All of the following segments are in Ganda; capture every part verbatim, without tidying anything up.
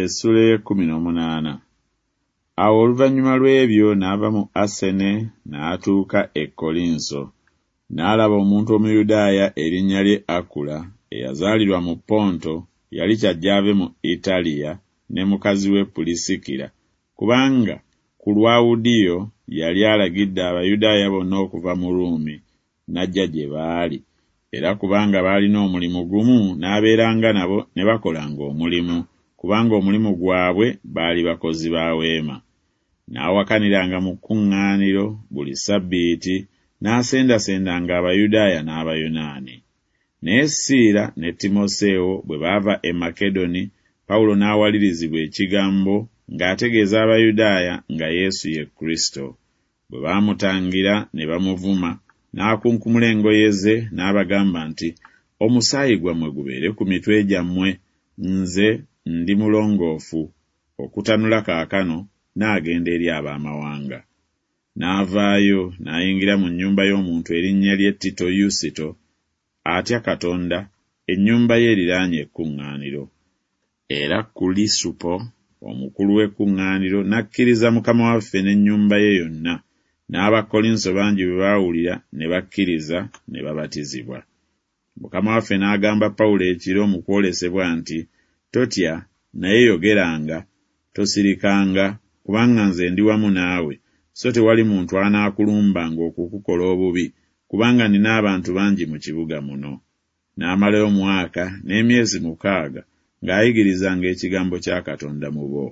Essula ey'ekkumi n'omunaana. Awo oluvannyuma lw'ebyo n'ava mu Asene n'atuuka e Kkolinso. N'alaba omuntu Omuyudaaya erinnya lye Akula, eyazaalirwa mu Ponto, yali kyajje ave mu Italiya ne mukazi we Pulisikira, kubanga Kulawudiyo yali alagidde Abayudaaya bonna okuva mu Ruumi, n'ajja gye baali, era kubanga baalina omulimu gumu n'abeeranga nabo ne bakolanga omulimu, kubanga omulimu gwabwe baali bakozi ba weema. N'awakaniranga mu kkuŋŋaaniro buli ssabbiiti, n'asendasendanga Abayudaaya n'Abayonaani. Naye Siira ne Timoseewo bwe baava e Makedoni, Pawulo n'awalirizibwa ekigambo ng'ategeeza Abayudaaya nga Yesu ye Kristo. Bwe baamutangira ne bamuvuma, n'akunkumula engoye ze n'abagamba nti, Omusaayi gwammwe gubeere ku mitwe gyammwe, nze ndi mulongoofu, okutanula kaakano n'agenda eri ab'amawanga. N'avaayo n'ayingira mu nnyumba y'omuntu erinnya lye Tito Yusito, atya Katonda, ennyumba ye eriraanye ekkuŋŋaaniro. Era Kulisupo omukulu w'ekkuŋŋaaniro n'akkiriza Mukama waffe n'ennyumba ye yonna, n'Abakkolinso bangi bwe baawulira ne bakkiriza ne babatizibwa. Mukama waffe n'agamba Pawulo ekiro mu kwolesebwa nti, Totya, naye yogeranga, tosirikanga, kubanga nze ndi wamu naawe, so tewali muntu anaakulumbanga okukukola obubi, kubanga nnina abantu bangi mu kibuga muno. N'amalayo omwaka n'emyezi mukaaga ng'ayigirizanga ekigambo kya Katonda mu bo.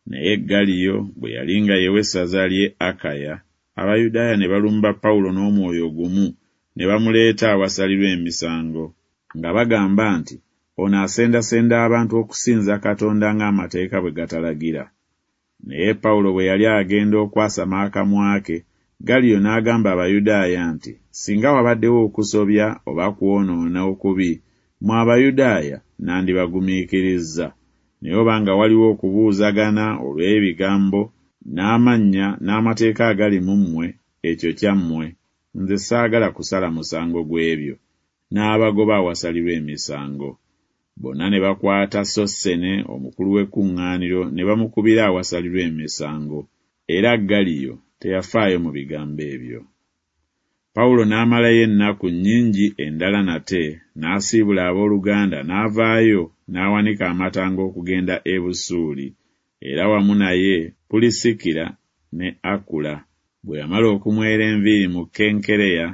Naye Galiyo bwe yali nga yewa essaza ly'e Akaya, Abayudaaya ne balumba Pawulo n'omwoyo gumu ne bamuleeta awasalirwa emisango, nga bagamba nti, Ono asendasenda abantu okusinza Katonda ng'amateeka bwe gatalagira. Naye Pawulo bwe yali agenda okwasama akamwa ke, Galiyo n'agamba Abayudaaya nti, Singa wabaddewo okusobya oba kwonoona okubi, mmwe Abayudaaya nandibagumiikirizza. Naye obanga waliwo okubuuzagana olw'ebigambo, n'amannya n'amateeka agali mu mmwe, ekyo kyammwe, nze saagala kusala musango gw'ebyo. N'abagoba awasalirwa emisango. Bonna ne bakwata Sossene omukulu w'ekkuŋŋaaniro ne bamukubira awasalirwa emisango. Era Galiyo teyafaayo mu bigambo ebyo. Pawulo n'amalayo ennaku nnyingi endala nate, n'asiibula abooluganda n'avaayo n'awanika amatanga okugenda e Busuuli, era wamu naye Pulisikira ne Akula, bwe yamala okumwera enviiri mu Kenkereya,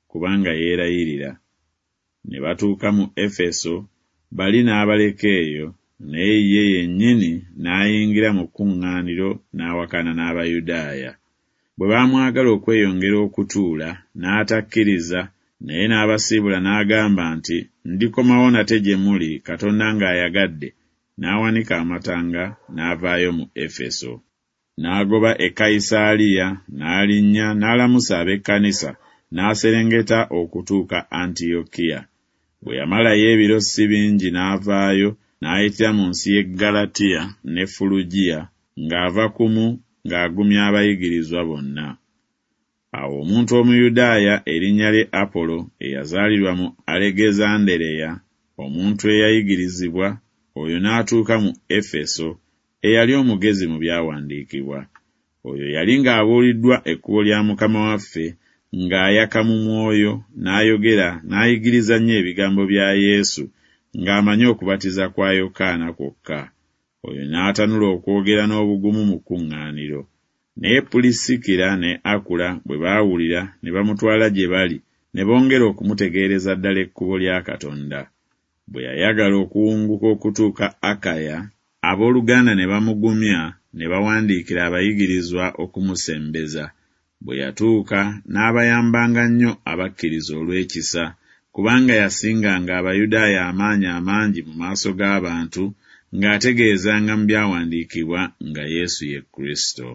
kubanga yeerayirira. Ne batuuka mu Efeso, bali n'abaleka eyo, naye ye yennyini n'ayingira mu kkuŋŋaaniro n'awakana n'Abayudaaya. Bwe baamwagala okweyongera okutuula, n'atakkiriza, naye n'abasiibula n'agamba nti, Ndikomawo nate gye muli, Katonda ng'ayagadde, n'awanika amatanga n'avaayo mu Efeso. N'agoba e Kayisaaliya, n'alinnya n'alamusa ab'ekkanisa, n'aserengeta okutuuka Antiyokiya. Bwe yamalayo ebiro si bingi n'avaayo, n'ayitira mu nsi y'e Ggalatiya ne Fulugiya, ng'ava kumu ng'agumya abayigirizwa bonna. Awo omuntu Omuyudaaya erinnya lye Apolo, eyazaalirwa mu Alegezandereya, omuntu eyayigirizibwa, oyo n'atuuka mu Efeso, eyali omugezi mu byawandiikibwa. Oyo yali ng'abuuliddwa ekkubo lya Mukama waffe, ng'ayaka mu mwoyo, n'ayogera n'ayigiriza nnyo ebigambo bya Yesu, ng'amanyi okubatiza kwa Yokaana kwokka. Oyo n'atanula okwogera n'obugumu mu kkuŋŋaaniro. Naye Pulisikira ne Akula bwe baawulira ne bamutwala gye bali, ne bongera okumutegeereza ddala ekkubo lya Katonda. Bwe yayagala okuwunguka okutuuka Akaya, abooluganda ne bamugumya ne bawandiikira abayigirizwa okumusembeza. Bwe yatuuka n'abayambanga nnyo abakkiriza olw'ekisa, kubanga yasinganga Abayudaaya amaanyi amangi mu maaso g'abantu, ng'ategeezanga mu byawandiikibwa nga Yesu ye Kristo.